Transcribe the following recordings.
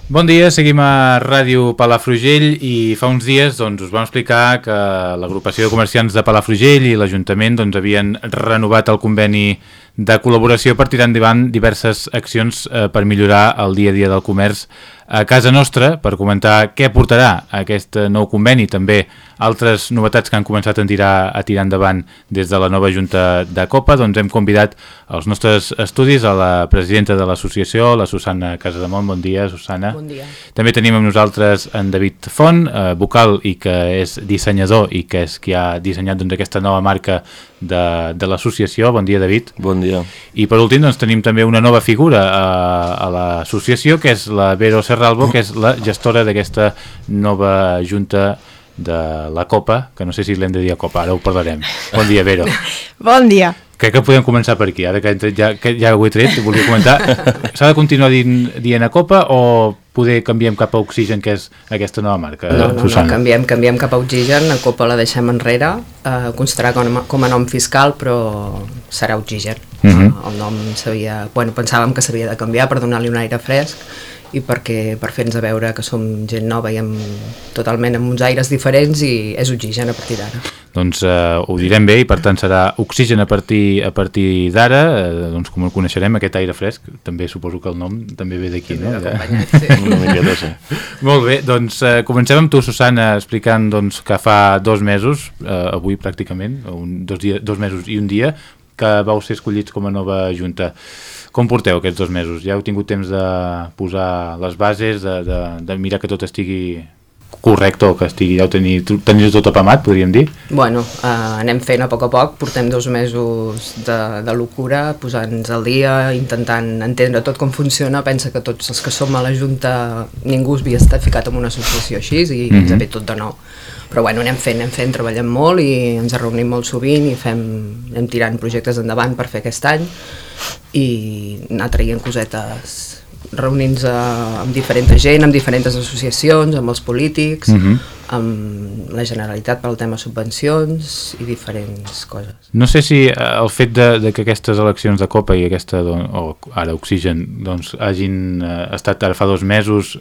Bon dia, seguim a Ràdio Palafrugell i fa uns dies us vam explicar que l'agrupació de comerciants de Palafrugell i l'Ajuntament havien renovat el conveni de col·laboració per tirar endavant diverses accions per millorar el dia a dia del comerç a casa nostra. Per comentar què portarà aquest nou conveni, també altres novetats que han començat a tirar endavant des de la nova Junta de Copa, hem convidat als nostres estudis a la presidenta de l'associació, la Susana Casademont. Bon dia, Susana. Bon dia. També tenim amb nosaltres en David Font, vocal i que és dissenyador i que és qui ha dissenyat aquesta nova marca de l'associació. Bon dia, David. Bon dia. I per últim tenim també una nova figura a l'associació, que és la Vero Serralbo, que és la gestora d'aquesta nova junta de la Copa, que no sé si l'hem de dir a Copa, ara ho parlarem. Bon dia, Vero. Bon dia. Crec que podem començar per aquí, ara que ja ho he tret, volia comentar. S'ha de continuar dient a Copa o poder canviem cap a Oxigen, que és aquesta nova marca? No, canviem cap a Oxigen, a Copa la deixem enrere, constarà com a nom fiscal, però serà Oxigen. El nom pensàvem que s'havia de canviar per donar-li un aire fresc i per fer-nos a veure que som gent nova i totalment amb uns aires diferents, i és Oxigen a partir d'ara. Doncs ho direm bé, i per tant serà Oxigen a partir d'ara, com el coneixerem, aquest aire fresc. També suposo que el nom també ve d'aquí, no? Una miqueta, sí. Molt bé, doncs comencem amb tu, Susana, explicant que fa 2 mesos, avui pràcticament, 2 mesos i un dia, que vau ser escollits com a nova junta. Com porteu aquests 2 mesos? Ja heu tingut temps de posar les bases, de mirar que tot estigui correcte, o que teniu tot apamat, podríem dir? Bueno, anem fent a poc, portem 2 mesos de locura, posant-nos al dia, intentant entendre tot com funciona. Pensa que tots els que som a la Junta, ningú havia estat ficat en una associació així, i ens ve tot de nou. Però bueno, anem fent, treballem molt i ens reunim molt sovint i anem tirant projectes endavant per fer aquest any i anar traient cosetes, reunint-nos amb diferent gent, amb diferents associacions, amb els polítics, amb la Generalitat pel tema subvencions i diferents coses. No sé si el fet de que aquestes eleccions de Copa i aquesta, o ara Oxigen, hagin estat ara fa 2 mesos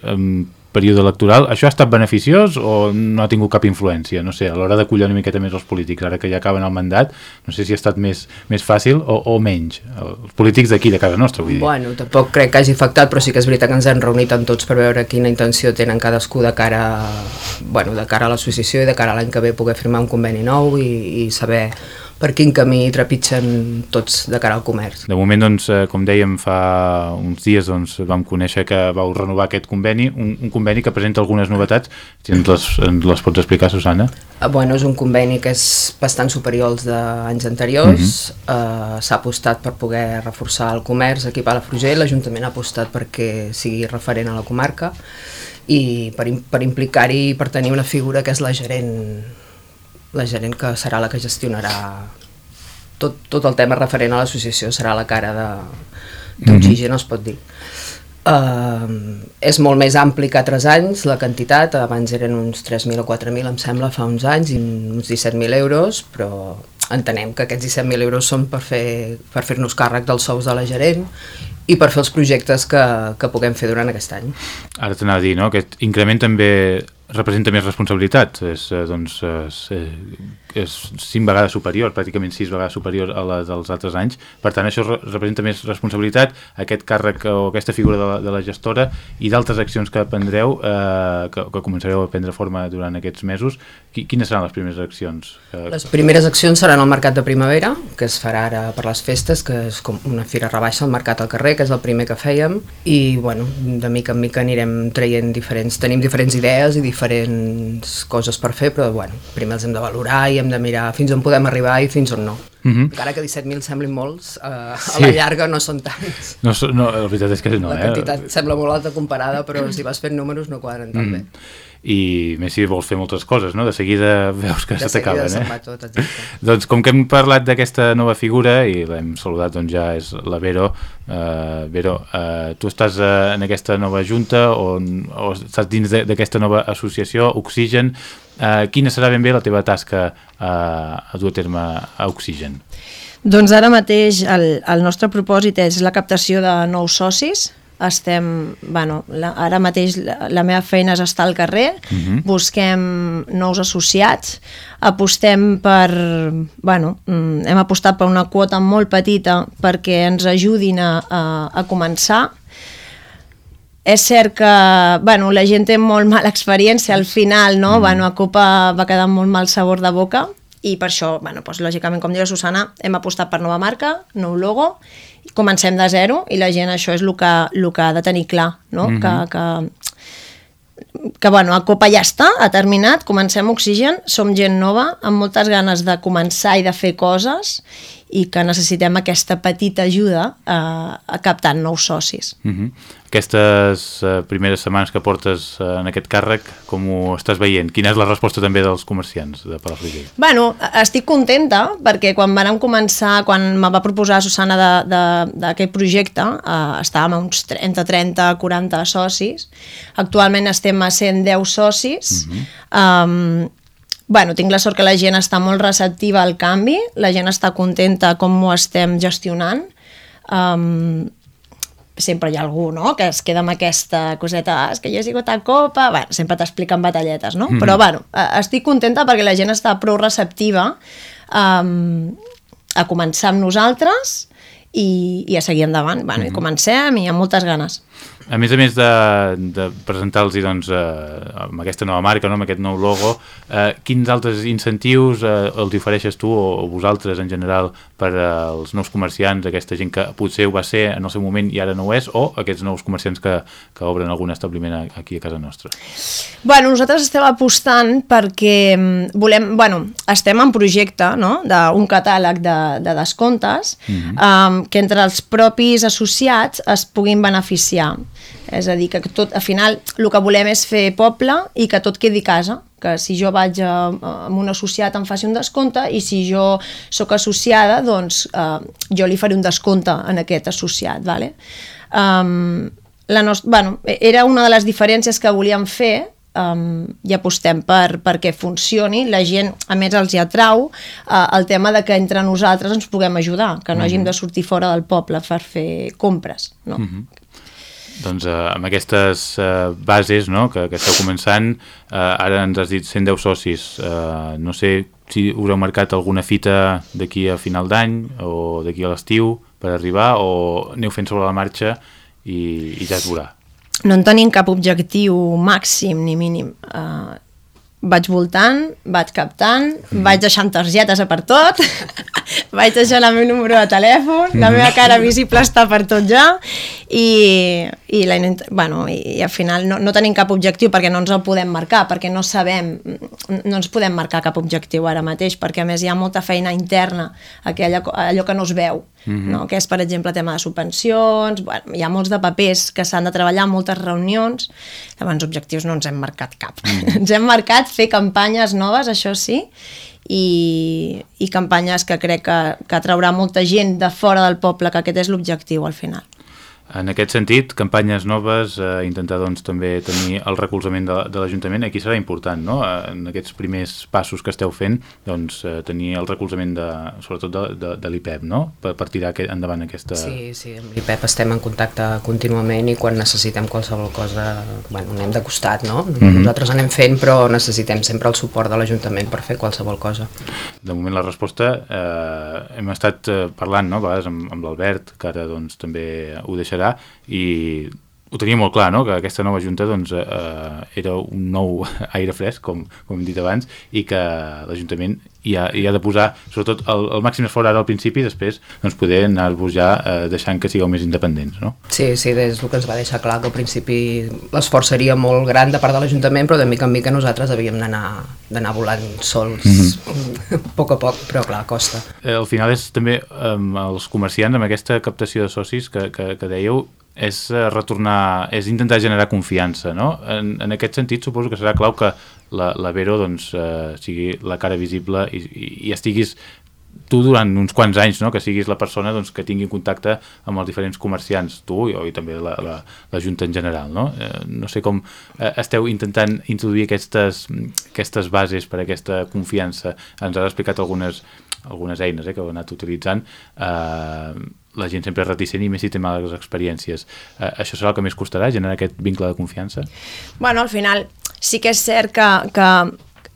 període electoral, això ha estat beneficiós o no ha tingut cap influència? No sé, a l'hora d'acollir una miqueta més els polítics, ara que ja acaben el mandat, no sé si ha estat més fàcil o menys, els polítics d'aquí, de casa nostra, vull dir. Bueno, tampoc crec que hagi afectat, però sí que és veritat que ens hem reunit amb tots per veure quina intenció tenen cadascú de cara a l'associació i de cara a l'any que ve poder firmar un conveni nou i saber per quin camí trepitgen tots de cara al comerç. De moment, com dèiem, fa uns dies vam conèixer que vau renovar aquest conveni, un conveni que presenta algunes novetats. Si ens les pots explicar, Susana? Bueno, és un conveni que és bastant superior als d'anys anteriors. S'ha apostat per poder reforçar el comerç aquí a Palafrugell, l'Ajuntament ha apostat perquè sigui referent a la comarca i per implicar-hi, per tenir una figura que és la gerent que serà la que gestionarà tot el tema referent a l'associació, serà la cara d'Oxigen, es pot dir. És molt més ampli que altres anys, la quantitat, abans eren uns 3.000 o 4.000, em sembla, fa uns anys, i uns 17.000 euros, però entenem que aquests 17.000 euros són per fer-nos càrrec dels sous de la gerent i per fer els projectes que puguem fer durant aquest any. Ara t'anava a dir, no?, aquest increment també representa més responsabilitat, és 5 vegades superior, pràcticament 6 vegades superior a la dels altres anys. Per tant, això representa més responsabilitat, aquest càrrec o aquesta figura de la gestora i d'altres accions que prendreu, que començareu a prendre forma durant aquests mesos. Quines seran les primeres accions? Les primeres accions seran al Mercat de Primavera, que es farà ara per les festes, que és com una fira rebaixa al Mercat al carrer, que és el primer que fèiem, i bueno, de mica en mica anirem traient tenim diferents idees i diferents coses per fer, però bueno, primer els hem de valorar i hem de mirar fins on podem arribar i fins on no. Encara que 17.000 semblin molts, a la llarga no són tants. No, la veritat és que no. La quantitat sembla molt alta comparada, però si vas fent números no quadren tan bé. I més si vols fer moltes coses, no? De seguida veus que se t'acaben. De seguida se'n va tot, exacte. Doncs com que hem parlat d'aquesta nova figura i l'hem saludat, doncs ja és la Vero. Vero, tu estàs en aquesta nova junta o estàs dins d'aquesta nova associació, Oxigen. Quina serà ben bé la teva tasca a dur a terme a Oxigen? Doncs ara mateix el nostre propòsit és la captació de nous socis ara mateix la meva feina és estar al carrer, busquem nous associats, apostem hem apostat per una quota molt petita perquè ens ajudin a començar. És cert que la gent té molt mala experiència al final, no? A Copa va quedar molt mal sabor de boca i per això, lògicament, com diu la Susana, hem apostat per nova marca, nou logo, comencem de zero i la gent això és el que ha de tenir clar, no? Que a Copa ja està, ha terminat, comencem Oxigen, som gent nova, amb moltes ganes de començar i de fer coses i que necessitem aquesta petita ajuda a captar nous socis. Aquestes primeres setmanes que portes en aquest càrrec, com ho estàs veient? Quina és la resposta també dels comerciants de Palafrugell? Estic contenta perquè quan vam començar, quan me va proposar Susana d'aquest projecte, estàvem a uns 30, 40 socis. Actualment estem a 110 socis. Tinc la sort que la gent està molt receptiva al canvi, la gent està contenta com ho estem gestionant. Sempre hi ha algú, no?, que es queda amb aquesta coseta, és que jo he sigut a Copa, sempre t'expliquen batalletes, no? Però estic contenta perquè la gent està prou receptiva a començar amb nosaltres i a seguir endavant. I comencem i amb moltes ganes. A més de presentar-los amb aquesta nova marca, amb aquest nou logo, quins altres incentius els ofereixes tu o vosaltres en general per als nous comerciants, aquesta gent que potser ho va ser en el seu moment i ara no ho és, o aquests nous comerciants que obren algun establiment aquí a casa nostra? Nosaltres estem apostant perquè estem en projecte, no?, d'un catàleg de descomptes que entre els propis associats es puguin beneficiar. És a dir, que tot, al final, el que volem és fer poble i que tot quedi a casa, que si jo vaig amb un associat em faci un descompte i si jo sóc associada, doncs jo li faré un descompte en aquest associat. Era una de les diferències que volíem fer i apostem perquè funcioni. La gent, a més, els hi atrau el tema de que entre nosaltres ens puguem ajudar, que no hàgim de sortir fora del poble per fer compres, no? Doncs amb aquestes bases, no?, que esteu començant, ara ens has dit 110 socis, no sé si us heu marcat alguna fita d'aquí a final d'any o d'aquí a l'estiu per arribar, o aneu fent sobre la marxa i ja es veurà? No en tenim cap objectiu màxim ni mínim. Vaig voltant, vaig captant, vaig deixant targetes per tot, vaig deixant el meu número de telèfon, la meva cara visible està per tot ja i al final no tenim cap objectiu perquè no ens el podem marcar, perquè no ens podem marcar cap objectiu ara mateix, perquè a més hi ha molta feina interna, allò que no es veu, no? Que és, per exemple, tema de subvencions, hi ha molts de papers que s'han de treballar, moltes reunions, llavors objectius no ens hem marcat cap. Ens hem marcat fer campanyes noves, això sí, i campanyes que crec que atraurà molta gent de fora del poble, que aquest és l'objectiu al final. En aquest sentit, campanyes noves, intentar també tenir el recolzament de l'Ajuntament, aquí serà important, no?, en aquests primers passos que esteu fent, tenir el recolzament sobretot de l'IPEP, no?, per tirar endavant aquesta... Sí, amb l'IPEP estem en contacte contínuament i quan necessitem qualsevol cosa, anem de costat, no? Nosaltres anem fent, però necessitem sempre el suport de l'Ajuntament per fer qualsevol cosa. De moment la resposta, hem estat parlant, no?, a vegades amb l'Albert, que ara també ho deixarà, i ho tenia molt clar, no?, que aquesta nova junta era un nou aire fresc, com hem dit abans, i que l'Ajuntament hi ha de posar, sobretot, el màxim esforç ara al principi, i després poder anar-vos ja deixant que sigueu més independents, no? Sí, des del que ens va deixar clar que al principi l'esforç seria molt gran de part de l'Ajuntament, però de mica en mica nosaltres havíem d'anar volant sols a poc, però clar, costa. Al final és també els comerciants, amb aquesta captació de socis que dèieu, és retornar, és intentar generar confiança, no? En aquest sentit suposo que serà clau que la Vero sigui la cara visible i estiguis tu durant uns quants anys, no?, que siguis la persona que tingui contacte amb els diferents comerciants, tu i també la Junta en general, no? No sé com esteu intentant introduir aquestes bases per a aquesta confiança. Ens has explicat algunes algunes eines que heu anat utilitzant, la gent sempre és reticent i més si té males experiències. Això serà el que més costarà, generar aquest vincle de confiança? Bueno, al final sí que és cert que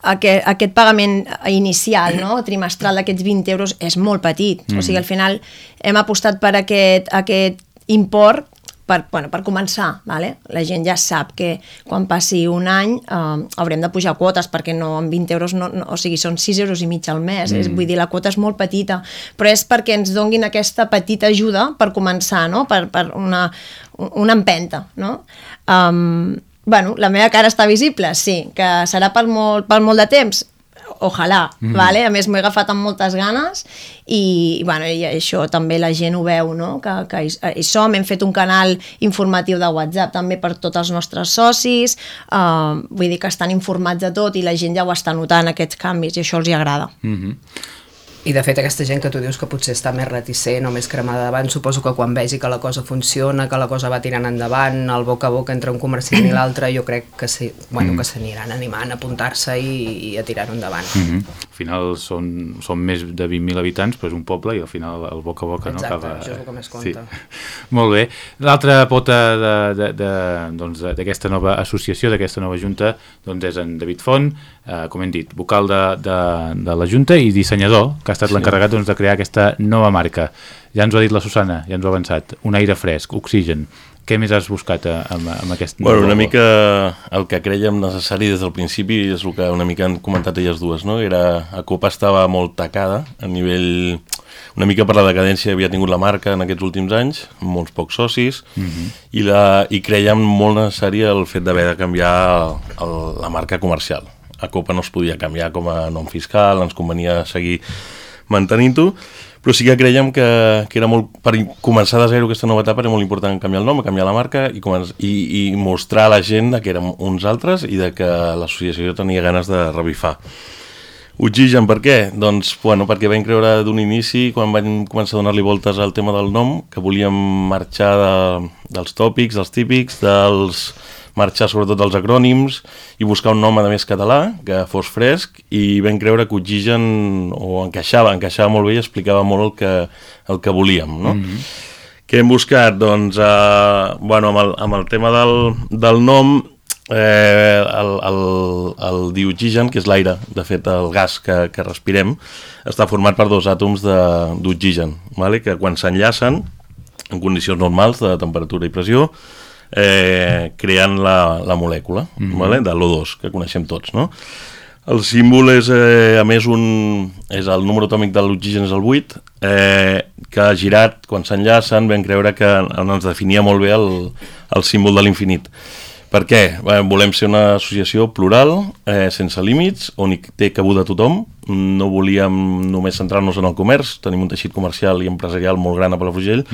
aquest pagament inicial, no, trimestral d'aquests 20 euros és molt petit. O sigui, al final hem apostat per aquest import per començar. Vale? La gent ja sap que quan passi un any haurem de pujar quotes, perquè no amb 20 euros, o sigui, són 6 euros i mig al mes. Vull dir, la quota és molt petita, però és perquè ens donguin aquesta petita ajuda per començar, no? Per una empenta. No? Bueno, la meva cara està visible? Sí. Que serà per molt de temps? Ojalà, vale? A més m'ho he agafat amb moltes ganes i això també la gent ho veu, no? Que hi som, hem fet un canal informatiu de WhatsApp també per tots els nostres socis, vull dir que estan informats de tot i la gent ja ho està notant, aquests canvis, i això els hi agrada. I de fet aquesta gent que tu dius que potser està més reticent o més cremada davant, suposo que quan vegi que la cosa funciona, que la cosa va tirant endavant, el boca a boca entre un comerciant i l'altre, jo crec que sí, que s'aniran animant a apuntar-se i a tirar-ho endavant. Al final són més de 20.000 habitants, però és un poble i al final el boca a boca no acaba... Exacte, això és el que més compta. Sí. Molt bé. L'altra pota d'aquesta nova associació, d'aquesta nova junta, doncs és en David Font, com hem dit, vocal de la junta i dissenyador, que ha estat l'encarregat de crear aquesta nova marca. Ja ens ho ha dit la Susana, ja ens ho ha avançat. Un aire fresc, Oxigen. Què més has buscat amb aquest... Bueno, una mica el que crèiem necessari des del principi és el que una mica han comentat elles dues, no? Acopa estava molt tacada a nivell... Una mica per la decadència havia tingut la marca en aquests últims anys, amb molts pocs socis, i crèiem molt necessari el fet d'haver de canviar la marca comercial. Acopa no es podia canviar com a nom fiscal, ens convenia seguir mantenint-ho, però sí que creiem que era molt, per començar de zero aquesta nova etapa era molt important canviar el nom, canviar la marca i mostrar a la gent que érem uns altres i de que l'associació tenia ganes de revifar. Oxigen, per què? Doncs, perquè vam creure d'un inici, quan vam començar a donar-li voltes al tema del nom, que volíem marxar dels tòpics, dels típics, marxar sobretot dels acrònims i buscar un nom a més català, que fos fresc, i vam creure que Oxigen encaixava molt bé i explicava molt el que volíem, no? Què hem buscat? Doncs, amb el tema del nom, el dioxigen, que és l'aire, de fet el gas que respirem, està format per 2 àtoms d'oxigen, que quan s'enllacen en condicions normals de temperatura i pressió creen la molècula de l'O2, que coneixem tots, no? El símbol és, a més, és el número atòmic de l'oxigen és el 8, que girat, quan s'enllacen, vam creure que ens definia molt bé el símbol de l'infinit. Per què? Volem ser una associació plural, sense límits, on hi té cabuda tothom. No volíem només centrar-nos en el comerç, tenim un teixit comercial i empresarial molt gran a Palafrugell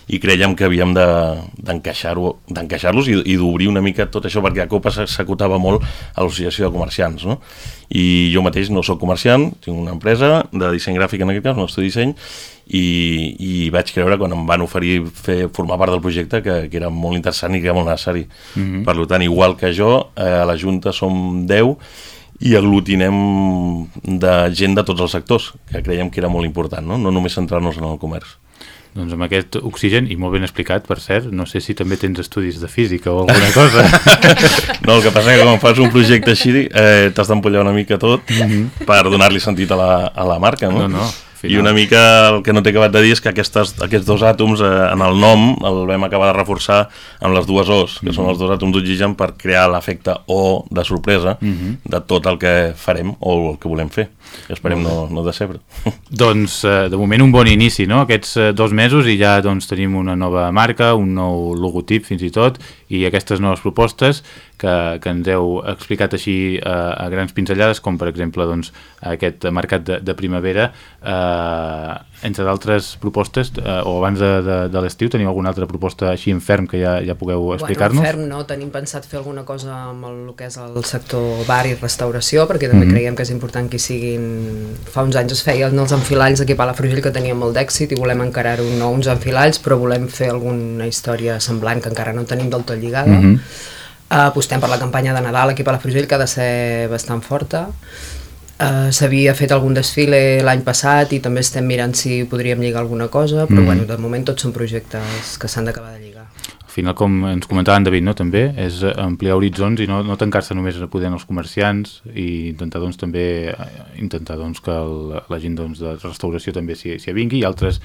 i creiem que havíem d'encaixar-los i d'obrir una mica tot això, perquè a Copa s'acotava molt a l'associació de comerciants, no? I jo mateix no soc comerciant, tinc una empresa de disseny gràfic, en aquest cas, un estudi de disseny, i vaig creure, quan em van oferir formar part del projecte, que era molt interessant i que era molt necessari. Per tant, igual que jo, a la Junta som 10 i aglutinem de gent de tots els sectors, que creiem que era molt important, no només centrar-nos en el comerç. Doncs amb aquest Oxigen, i molt ben explicat, per cert, no sé si també tens estudis de física o alguna cosa. No, el que passa és que quan fas un projecte així t'has d'empollar una mica tot per donar-li sentit a la marca, no? I una mica el que no t'he acabat de dir és que aquests 2 àtoms en el nom el vam acabar de reforçar amb les 2 O's, que són els 2 àtoms d'oxigen, per crear l'efecte O de sorpresa de tot el que farem o el que volem fer. I esperem no decebre. Doncs de moment un bon inici, no? Aquests 2 mesos i ja tenim una nova marca, un nou logotip fins i tot, i aquestes noves propostes que ens heu explicat així a grans pinzellades, com per exemple aquest mercat de primavera. Entre d'altres propostes, o abans de l'estiu, teniu alguna altra proposta així en ferm que ja pugueu explicar-nos? En ferm no, tenim pensat fer alguna cosa amb el que és el sector bar i restauració, perquè també creiem que és important que hi siguin... Fa uns anys es feien els enfilalls aquí a Palafrugell, que tenien molt d'èxit, i volem encarar-ho no uns enfilalls, però volem fer alguna història semblant que encara no tenim del tot lligada. Apostem per la campanya de Nadal aquí a Palafrugell, que ha de ser bastant forta. S'havia fet algun desfile l'any passat i també estem mirant si podríem lligar alguna cosa, però bueno, de moment tots són projectes que s'han d'acabar de lligar. Al final, com ens comentava en David, no, també, és ampliar horitzons i no tancar-se només a poder els comerciants i intentar doncs, també que la gent doncs, de restauració també s'hi avingui i altres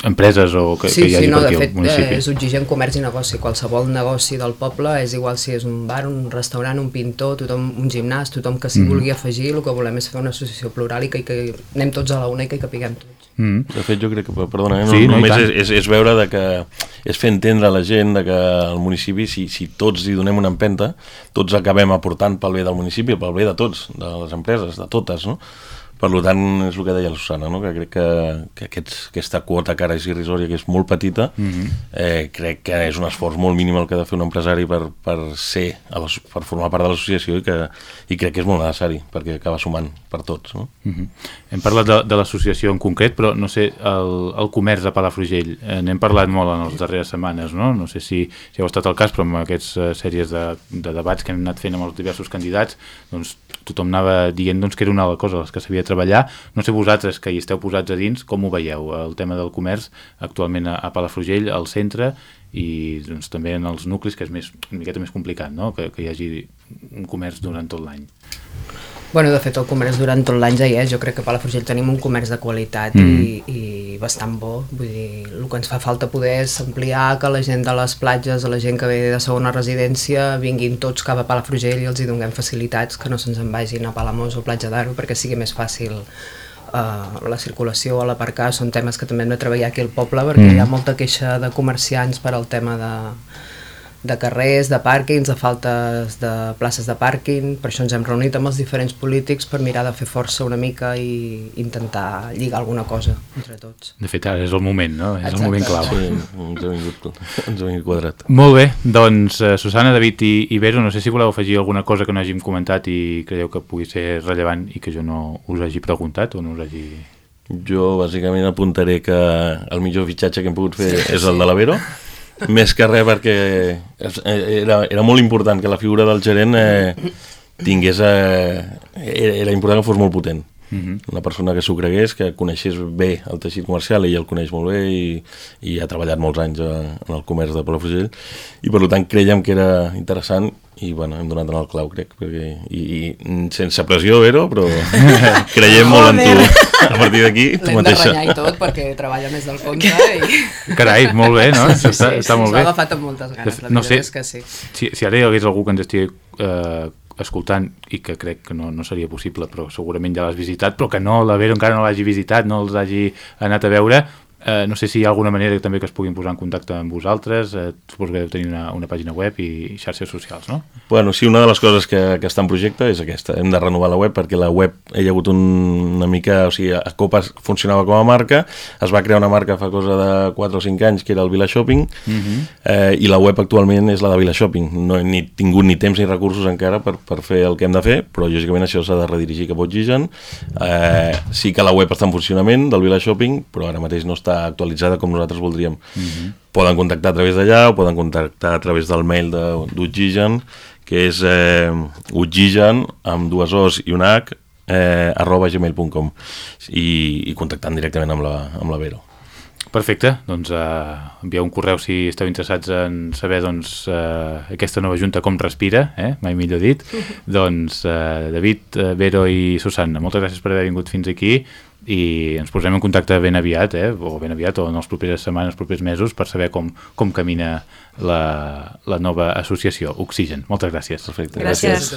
empreses o que hi hagi per aquí al municipi. És Oxigen Comerç i Negoci. Qualsevol negoci del poble, és igual si és un bar, un restaurant, un pintor, un gimnàs, tothom que s'hi vulgui afegir, el que volem és fer una associació plural i que anem tots a la una i que hi capiguem tots. De fet, jo crec que, perdona, només és veure que és fer entendre a la gent que al municipi, si tots hi donem una empenta, tots acabem aportant pel bé del municipi, pel bé de tots, de les empreses, de totes, no? Per tant, és el que deia la Susana, no? Que crec que aquesta quota que ara és irrisòria, que és molt petita, crec que és un esforç molt mínim el que ha de fer un empresari per formar part de l'associació i crec que és molt necessari, perquè acaba sumant per tots. No? Hem parlat de l'associació en concret, però no sé, el comerç de Palafrugell, n'hem parlat molt en les darreres setmanes, no? No sé si heu estat al cas, però amb aquestes sèries de debats que hem anat fent amb els diversos candidats, doncs tothom anava dient que era una de les coses a les que s'havia de treballar. No sé vosaltres, que hi esteu posats a dins, com ho veieu, el tema del comerç actualment a Palafrugell, al centre, i doncs, també en els nuclis, que és una miqueta més complicat, no? Que hi hagi un comerç durant tot l'any. Bueno, de fet, el comerç durant tot l'any ja hi és. Jo crec que a Palafrugell tenim un comerç de qualitat i bastant bo. Vull dir, el que ens fa falta poder és ampliar, que la gent de les platges, la gent que ve de segona residència, vinguin tots cap a Palafrugell i els hi donem facilitats, que no se'ns en vagin a Palamós o Platja d'Aro, perquè sigui més fàcil la circulació o l'aparcar. Són temes que també hem de treballar aquí al poble, perquè hi ha molta queixa de comerciants per al tema de carrers, de pàrquings, de faltes de places de pàrquing. Per això ens hem reunit amb els diferents polítics per mirar de fer força una mica i intentar lligar alguna cosa entre tots. De fet, ara és el moment, no? És el moment clau. Sí, ens ha vingut quadrat. Molt bé, doncs Susana, David i Vero, no sé si voleu afegir alguna cosa que no hàgim comentat i creieu que pugui ser rellevant i que jo no us hagi preguntat o no us hagi... Jo bàsicament apuntaré que el millor fitxatge que hem pogut fer és el de la Vero. Més que res perquè era molt important que la figura del gerent tingués... Era important que fos molt potent. Una persona que s'ho cregués, que coneixés bé el teixit comercial, ell el coneix molt bé i ha treballat molts anys en el comerç de Palafrugell i per tant creiem que era interessant i bueno, hem donat en el clau, crec, i sense pressió, Vero, però creiem molt en tu. A partir d'aquí, tu mateixa. L'hem de renyar i tot perquè treballa més del compte i... Carai, molt bé, no? Està molt bé. S'ho ha agafat amb moltes ganes, la veritat és que sí. Si ara hi hagués algú que ens estigui escoltant i que crec que no seria possible, però segurament ja l'has visitat, però que no, la Vero encara no l'hagi visitat, no els hagi anat a veure, no sé si hi ha alguna manera també que es puguin posar en contacte amb vosaltres, suposo que deu tenir una pàgina web i xarxes socials, no? Bueno, sí, una de les coses que està en projecte és aquesta, hem de renovar la web perquè la web hi ha hagut una mica, o sigui, Copa funcionava com a marca, es va crear una marca fa cosa de 4 o 5 anys que era el Vila Shopping i la web actualment és la de Vila Shopping, no hem tingut ni temps ni recursos encara per fer el que hem de fer, però lògicament això s'ha de redirigir cap a Oxigen, sí que la web està en funcionament del Vila Shopping, però ara mateix no està actualitzada com nosaltres voldríem. Poden contactar a través d'allà o poden contactar a través del mail d'Oxigen, que és oxigen amb 2 O's i una H @gmail.com i contactant directament amb la Vero. Perfecte, doncs envieu un correu si esteu interessats en saber doncs, aquesta nova junta com respira, mai millor dit. Doncs David, Vero i Susana, moltes gràcies per haver vingut fins aquí i ens posem en contacte ben aviat, o en les properes setmanes, els propers mesos, per saber com camina la nova associació Oxigen. Moltes gràcies. Perfecte. Gràcies.